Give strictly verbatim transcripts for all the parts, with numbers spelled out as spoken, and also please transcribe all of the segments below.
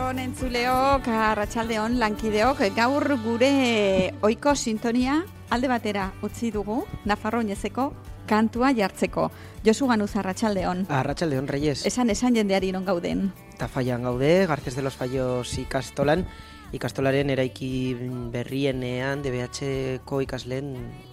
Arratsaldeon entzuleok, arratsaldeon lankideok, gaur gure ohiko sintonia alde batera utzi dugu, Nafarro Oinezeko kantua jartzeko. Josu Ganuz, arratsaldeon. Arratsaldeon, Reyes. Esan esan jendeari non gauden. Tafallan gaude, Garces de los Fallos ikastolan, ikastolaren eraiki berrienean, D B H-ko ikasleen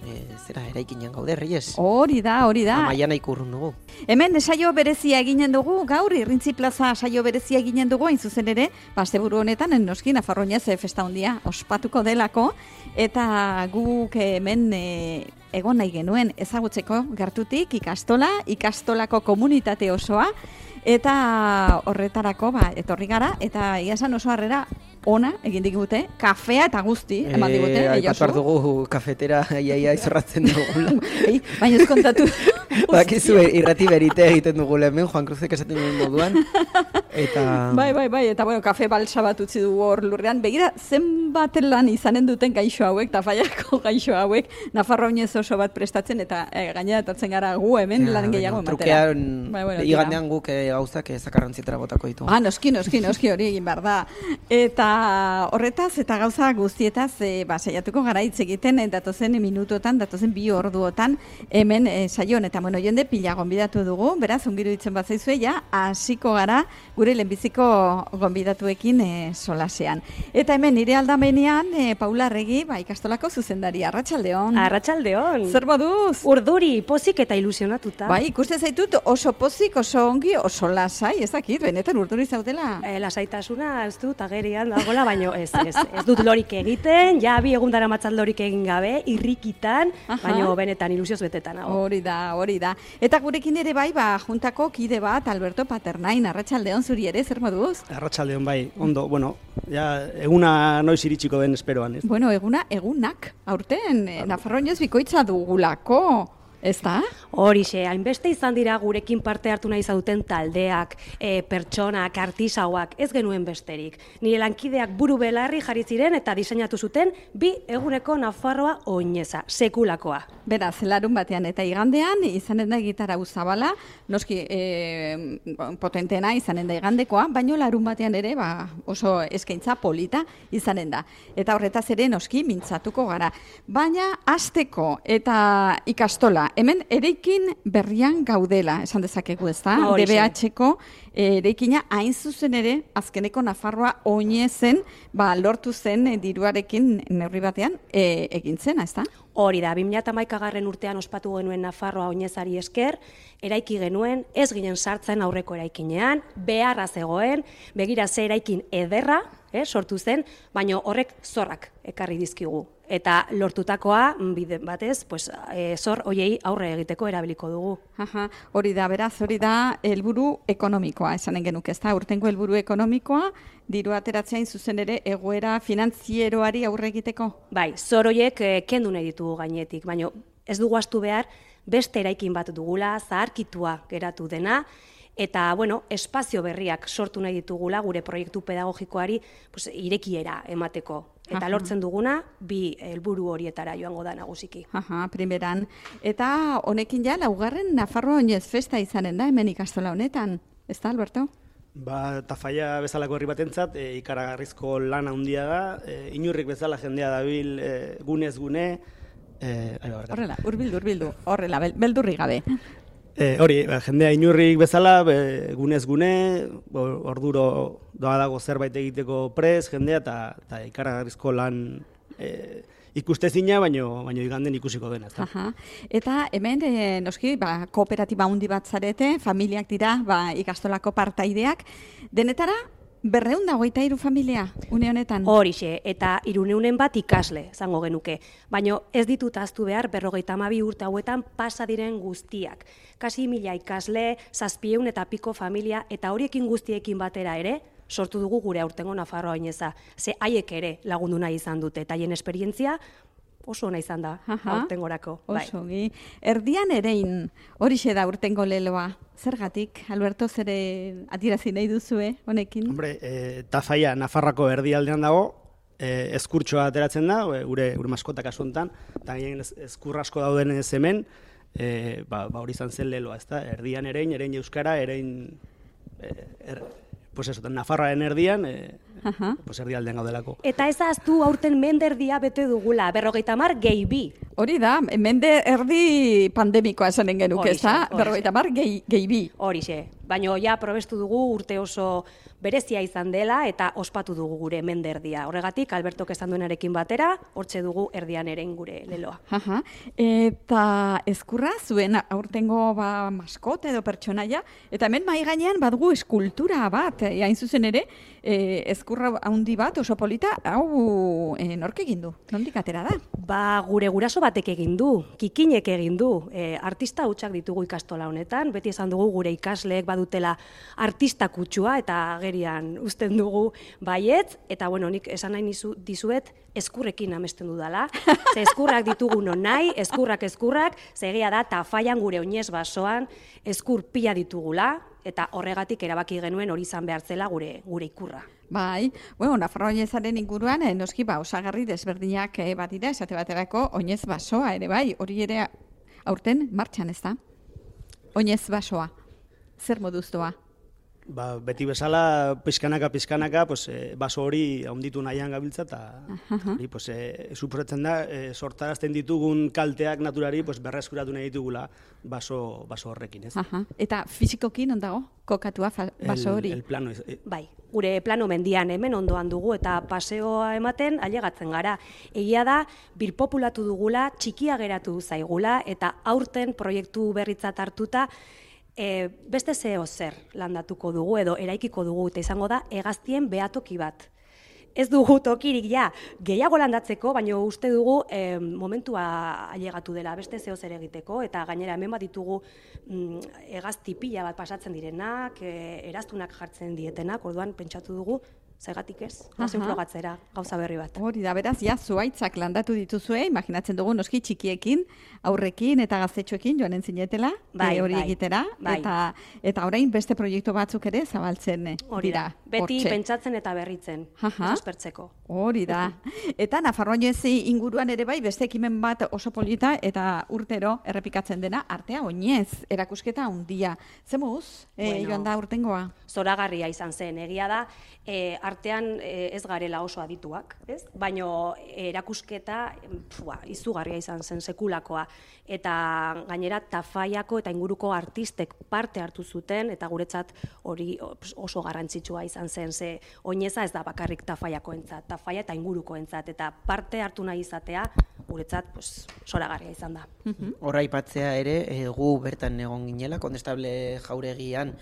e, zera eraikinean gaude, Reyes. Hori da, hori da. Amaian ikurrun dugu. Hemen saio berezia eginen dugu, gaur Irrintzi plaza saio berezia eginen dugu, hain zuzen ere, asteburu honetan, noski Nafarro Oinez festa handia ospatuko delako, eta guk hemen e, egon nahi genuen ezagutzeko gertutik ikastola, ikastolako komunitate osoa, eta horretarako ba, etorri gara, eta iasan oso harrera ona egin digute, kafea eta guzti eman digute. E, Aipatu behar dugu kafetera iaia izorratzen dugula. Ei, baina ez kontatu. Bakizu irrati berite egiten dugu hemen, Juan Cruzek esaten duen moduan. Eta... Bai, bai, bai, eta bueno, kafe balsa bat utzi dugu hor lurrean. Begira, zenbat lan izanen duten gaixo hauek, Tafallako gaixo hauek, Nafarro Oinez oso bat prestatzen, eta e, gainera etortzen gara gu hemen ja, lan gehiago ematera. Trukean, bai, bueno, igandean guk e, gauzak zakarrantzietara botako ditu. Ah, noski, noski, noski hori egin behar da. Eta horretaz eta gauza guztietaz e, ba, saiatuko gara hitz egiten, e, datozen minutotan, datozen bi orduotan, hemen e, saion, eta bueno, jende pila gonbidatu dugu, beraz, ongiru ditzen bat zaizue, ja, hasiko gara gure lehenbiziko gonbidatuekin e, solasean. Eta hemen nire aldamenean, e, Paula Arregi, ba, ikastolako zuzendari, arratsaldeon. Arratsaldeon. Zer moduz? Urduri, pozik eta ilusionatuta. Bai, ikusten zaitut oso pozik, oso ongi, oso lasai, ez dakit, benetan urduri zaudela. E, lasaitasuna, ez dut, agerian dagoela, baino ez, ez, ez dut lorik egiten, ja bi egun dara matzat lorik egin gabe, irrikitan, aha, baino benetan ilusioz betetan. Hau. Hori da, hori da. Eta gurekin ere bai, ba, juntako kide bat, Alberto Paternain, arratsaldeon zuri ere, zer moduz? Arratsaldeon bai, ondo, bueno, ja, eguna noiz iritsiko den esperoan, ez? Bueno, eguna, egunak, aurten, Nafarro Oinez bikoitza dugulako. Ez da? Horixe, hainbeste izan dira gurekin parte hartu nahi zauten taldeak, e, pertsonak, artisauak, ez genuen besterik. Nire lankideak buru belarri jarri ziren eta diseinatu zuten bi eguneko Nafarroa Oineza, sekulakoa. Beraz, larun batean eta igandean, izanen da gitarra zabala, noski e, potentena izanen da igandekoa, baino larun batean ere ba, oso eskaintza polita izanen da. Eta horretaz ere noski mintzatuko gara. Baina hasteko eta ikastola, hemen eraikin berrian gaudela, esan dezakegu ez da, D B H-ko eraikina hain zuzen ere, azkeneko Nafarroa Oinezen, ba, lortu zen e, diruarekin neurri batean e, egin zena, ez da? Hori da, bi mila hamaikagarren urtean ospatu genuen Nafarroa Oinezari esker, eraiki genuen, ez ginen sartzen aurreko eraikinean, beharra zegoen, begira ze eraikin ederra, eh, sortu zen, baina horrek zorrak ekarri dizkigu. Eta lortutakoa, bide batez, pues, e, zor hoiei aurre egiteko erabiliko dugu. Aha, hori da, beraz, hori da helburu ekonomikoa, esanen genuke, ez da, urtengo helburu ekonomikoa, diru ateratzeain zuzen ere egoera finantzieroari aurre egiteko? Bai, zor hoiek e, kendu nahi ditugu gainetik, baina ez dugu astu behar, beste eraikin bat dugula, zaharkitua geratu dena, eta, bueno, espazio berriak sortu nahi ditugula gure proiektu pedagogikoari pues, irekiera emateko. Eta aha, lortzen duguna, bi helburu horietara joango da nagusiki. Aha, primeran. Eta honekin ja, laugarren Nafarro Oinez festa izanen da, hemen ikastola honetan. Ez da, Alberto? Ba, Tafalla bezalako herri batentzat, e, ikaragarrizko lan handia da, e, inurrik bezala jendea dabil e, gunez gune. E, horrela, urbildu, urbildu, horrela, beldurri gabe. E, hori, ba, jendea inurrik bezala, be, gunez gune, orduro doa dago zerbait egiteko prez, jendea, eta ikaragarrizko lan e, ikustezina, baino, baino iganden ikusiko dena. Aha. Eta hemen, e, noski, ba, kooperatiba handi bat zarete, familiak dira, ba, ikastolako partaideak, denetara, berreun da hogeita hiru familia, une honetan? Horixe, eta hirurehun bat ikasle, zango genuke. Baina ez ditut ahaztu behar berrogeita hamabi urte hauetan pasa diren guztiak. Kasi mila ikasle, zazpieun eta piko familia, eta horiekin guztiekin batera ere, sortu dugu gure aurtengo Nafarroa Oineza. Ze haiek ere lagundu nahi izan dute, eta haien esperientzia oso ona izan da, aurtengorako. Oso, bai. Erdian erein, horixe da urtengo leloa. Zergatik, Alberto, zere atirazi nahi duzue honekin? Hombre, e, Tafalla Nafarroako erdialdean dago, e, eskurtsoa ateratzen da, gure, gure maskotak kasu honetan, eta eskur asko dauden ez hemen, e, ba, ba hori izan zen leloa, ezta? Erdian erein, erein euskara, erein e, er, pues eso, Nafarroaren erdian, e, pues erdialdean gaudelako. Eta ez ahaztu aurten menderdia bete dugula, berrogeita hamar gehi bi. Hori da, mende erdi pandemikoa esanen genuke, ez da? Berrogeita hamar gehi, gehi bi. Horixe, baina ja probestu dugu urte oso berezia izan dela eta ospatu dugu gure menderdia. Horregatik, Albertok esan duenarekin batera, hortxe dugu erdian ere gure leloa. Aha. Eta ezkurra zuen aurtengo ba, maskote edo pertsonaia, eta hemen mai gainean badugu eskultura bat, e, hain zuzen ere, e, ezkurra handi bat oso polita, hau e, nork egin du? Nondik atera da? Ba, gure guraso batek egin du, kikinek egin du. E, artista hutsak ditugu ikastola honetan, beti esan dugu gure ikasleek badutela artista kutsua eta agerian uzten dugu baietz, eta bueno, nik esan nahi nizu, dizuet eskurrekin amesten dudala. Ze eskurrak ditugu non nahi, eskurrak eskurrak, zegia da tafaian gure oinez basoan eskur pila ditugula, eta horregatik erabaki genuen hori izan behar zela gure gure ikurra. Bai, bueno, Nafarroa oinezaren inguruan, eh, noski ba, osagarri desberdinak eh, bat dira, esate baterako oinez basoa ere bai, hori ere aurten martxan ez da? Oinez basoa, zer moduz doa? Ba, beti bezala, pizkanaka, pizkanaka, pues, e, baso hori haunditu nahian gabiltza, eta hori, pues, e, suposatzen da, e, sortarazten ditugun kalteak naturari pues, berreskuratu nahi ditugula baso, baso horrekin, ez? Aha. Eta fizikoki non dago kokatua baso hori? El, el plano, ez, e... Bai, gure plano mendian hemen ondoan dugu eta paseoa ematen ailegatzen gara. Egia da, birpopulatu dugula, txikia geratu zaigula, eta aurten proiektu berritzat hartuta, E, beste zeo zer landatuko dugu edo eraikiko dugu eta izango da hegaztien behatoki bat. Ez dugu tokirik ja gehiago landatzeko, baina uste dugu e, momentua ailegatu dela beste zeo zer egiteko eta gainera hemen bat ditugu mm, hegazti pila bat pasatzen direnak, e, eraztunak jartzen dietenak, orduan pentsatu dugu zergatik ez, nazen frogatzera gauza berri bat. Hori da, beraz, ja, zuaitzak landatu dituzue, imaginatzen dugu noski txikiekin, aurrekin eta gaztetxoekin joanen zinetela, bai, hori bai, egitera, bai. eta, eta orain beste proiektu batzuk ere zabaltzen hori dira. Da, beti hortxe. pentsatzen eta berritzen, aspertzeko. Hori da. Eta Nafarroa oinezi inguruan ere bai, beste ekimen bat oso polita eta urtero errepikatzen dena, artea oinez, erakusketa handia. Zemuz, e, Bueno, joan da urtengoa? Zoragarria izan zen, egia da, e, artean e, ez garela oso adituak, ez? Baino erakusketa pua, izugarria izan zen sekulakoa, eta gainera Tafaiako eta inguruko artistek parte hartu zuten, eta guretzat hori oso garrantzitsua izan zen, ze oineza ez da bakarrik Tafaiakoentzat, Tafaia eta ingurukoentzat, eta parte hartu nahi izatea guretzat pues, zoragarria izan da. Horra aipatzea ere, e, gu bertan egon ginela, Kondestable Jauregian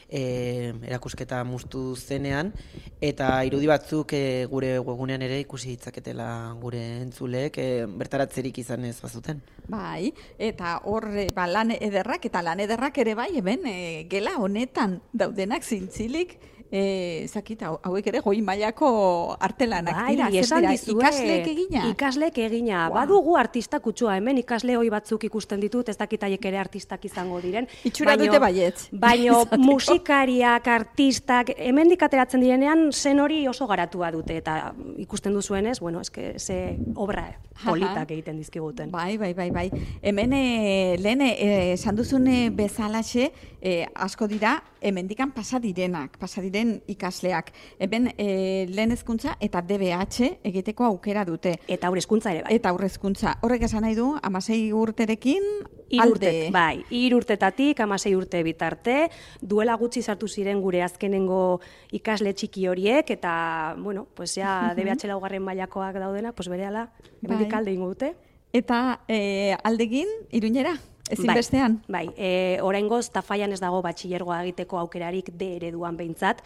e, erakusketa muztu zenean, eta irudi batzuk e, gure webgunean ere ikusi ditzaketela gure entzuleek, e, bertaratzerik izan ez bazuten. Bai, eta hor ba, lan ederrak, eta lan ederrak ere bai, hemen e, gela honetan daudenak zintzilik, E, zakita, hauek ere goi mailako artelanak bai, dira, zer dira, ikasleek egina? Ikasleek egina, Wow. badugu artista kutsua, hemen ikasle hoi batzuk ikusten ditut, ez dakitaiek ere artistak izango diren. Itxura dute baietz. Baino musikariak, artistak, hemendik ateratzen direnean zen hori oso garatua dute, eta ikusten duzuenez, bueno, eske, ze obra politak egiten dizkiguten. Bai, bai, bai, bai. Hemen e, lehen e, esan duzune bezalaxe e, asko dira hemendikan pasa direnak, pasa diren ikasleak. Hemen e, lehen hezkuntza eta D B H egiteko aukera dute. Eta aurre hezkuntza ere bai. Eta aurre hezkuntza. Horrek esan nahi du, hamasei urterekin Hiru alde. urte, bai, hiru urtetatik hamasei urte bitarte, duela gutxi sartu ziren gure azkenengo ikasle txiki horiek, eta, bueno, pues ja D B H laugarren mailakoak daudenak, pues berehala, hemendik Bai. alde ingo dute. Eta e, aldegin, Iruñera, ezinbestean. Bai, bai. E, oraingoz Tafaian ez dago batxilergoa egiteko aukerarik D ereduan behintzat.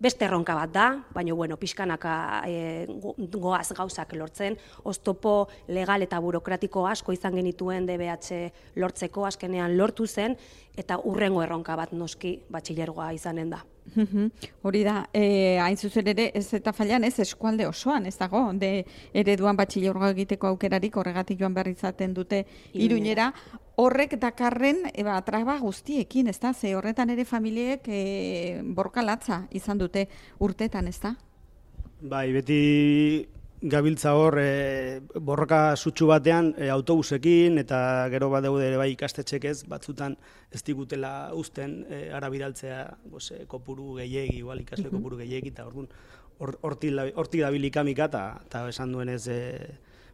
Beste erronka bat da, baina bueno, pixkanaka e, goaz gauzak lortzen, oztopo legal eta burokratiko asko izan genituen D B H lortzeko, azkenean lortu zen, eta urrengo erronka bat noski batxilergoa izanen da. Hori da, e, hain zuzen ere, ez eta failan ez eskualde osoan, ez dago, de ereduan batxilergoa egiteko aukerarik horregatik joan behar izaten dute Iruñera. Horrek dakarren e, ba, traba guztiekin, ez da, ze horretan ere familiek e, borka latza izan dute urtetan, ez da? Bai, beti gabiltza hor e, borroka sutsu batean e, autobusekin eta gero bat daude ere bai ikastetxek ez, batzutan ez digutela uzten e, ara bidaltzea pues, e, kopuru gehiegi, igual ikasle kopuru gehiegi, eta orduan hortik dabil ikamika eta esan duenez e,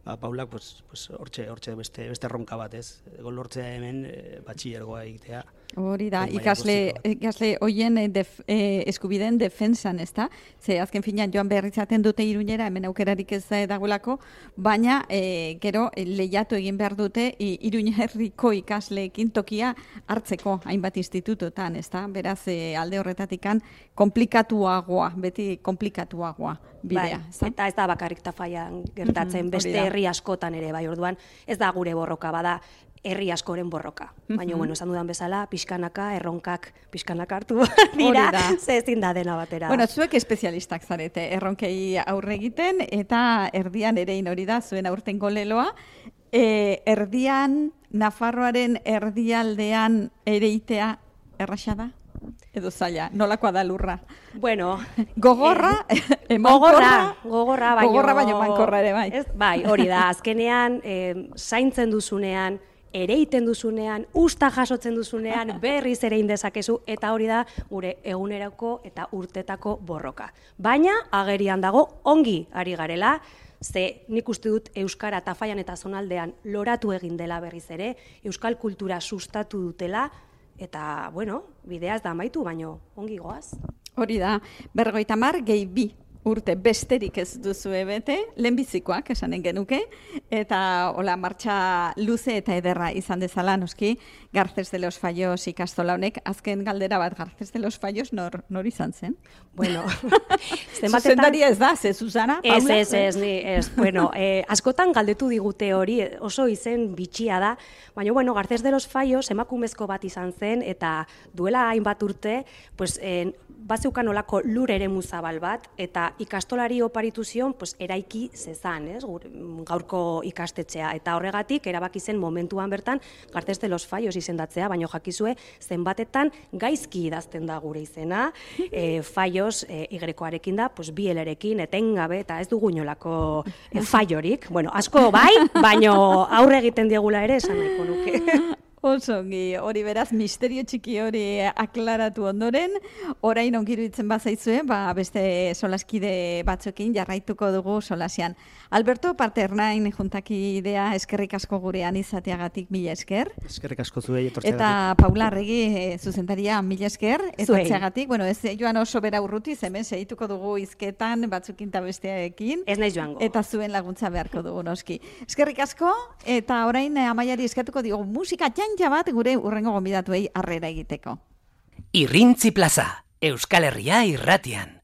ba, Paulak pues, pues, hortxe, hortxe beste, beste ronka bat ez, lortzea hemen e, batxillergoa egitea. Hori da, ikasle, ikasle hoien def, eh, eskubideen defensan, ez da? Ze azken finean joan behar izaten dute Iruñera, hemen aukerarik ez da dagoelako, baina eh, gero lehiatu egin behar dute Iruñerriko ikasleekin tokia hartzeko hainbat institutotan, ez da? Beraz, eh, alde horretatikan komplikatuagoa, beti komplikatuagoa bidea. Bai, eta ez da bakarrik Tafallan gertatzen, mm-hmm, beste herri askotan ere, bai, orduan, ez da gure borroka, bada, herri askoren borroka. Baina, mm-hmm, bueno, esan dudan bezala, pixkanaka, erronkak pixkanaka hartu dira, ze ezin da dena batera. Bueno, zuek espezialistak zarete, erronkei aurre egiten, eta erdian erein hori da, zuen aurtengo leloa, e, erdian, Nafarroaren erdialdean ereitea erraxa da? Edo zaila, nolakoa da lurra? Bueno, gogorra, eh, gogorra, gogorra, baino, gogorra baino mankorra ere, bai. Ez, bai, hori da, azkenean, eh, zaintzen duzunean, ereiten duzunean, usta jasotzen duzunean, berriz ere indezakezu, eta hori da gure egunerako eta urtetako borroka. Baina, agerian dago, ongi ari garela, ze nik uste dut Euskara Tafallan eta zonaldean loratu egin dela berriz ere, euskal kultura sustatu dutela, eta, bueno, bidea ez da amaitu, baino ongi goaz. Hori da, berrogeita hamar gehi bi urte besterik ez duzue bete, lehenbizikoak esanen genuke, eta hola martxa luze eta ederra izan dezala, noski, Garces de los Fallos ikastola honek, azken galdera bat, Garces de los Fallos nor, nor izan zen? Bueno, zuzendaria ez da, ze Susana, Paula? Ez, ez, ez, ni, ez, bueno, eh, askotan galdetu digute hori, oso izen bitxia da, baina, bueno, Garces de los Fallos emakumezko bat izan zen, eta duela hainbat urte, pues, eh, bazeukan olako lur ere muzabal bat, eta ikastolari oparitu zion pues, eraiki zezan, ez, gaurko ikastetxea. Eta horregatik, erabaki zen momentuan bertan, Garces de los Fallos izendatzea, baina jakizue zenbatetan gaizki idazten da gure izena, e, Fallos e, igrekoarekin da, pues, bi elerekin, etengabe, eta ez dugu inolako e, fallorik. Bueno, asko bai, baina aurre egiten diegula ere, esan nahiko nuke. Osongi, hori beraz, misterio txiki hori aklaratu ondoren, orain ongiru itzen bazaizue, ba, beste solaskide batzuekin jarraituko dugu solasian. Alberto Paternain juntakidea eskerrik asko gurean izateagatik mila esker. Eskerrik asko zuei etortzeagatik. Eta Paula Arregi e, zuzendaria mila esker etortzeagatik. Bueno, ez joan oso bera urrutiz, hemen segituko dugu izketan batzukin eta bestearekin. Ez naiz joango. Eta zuen laguntza beharko dugu noski. Eskerrik asko, eta orain Amaiari eskatuko digu musika txantxa bat gure urrengo gonbidatuei harrera egiteko. Irrintzi Plaza, Euskal Herria irratian.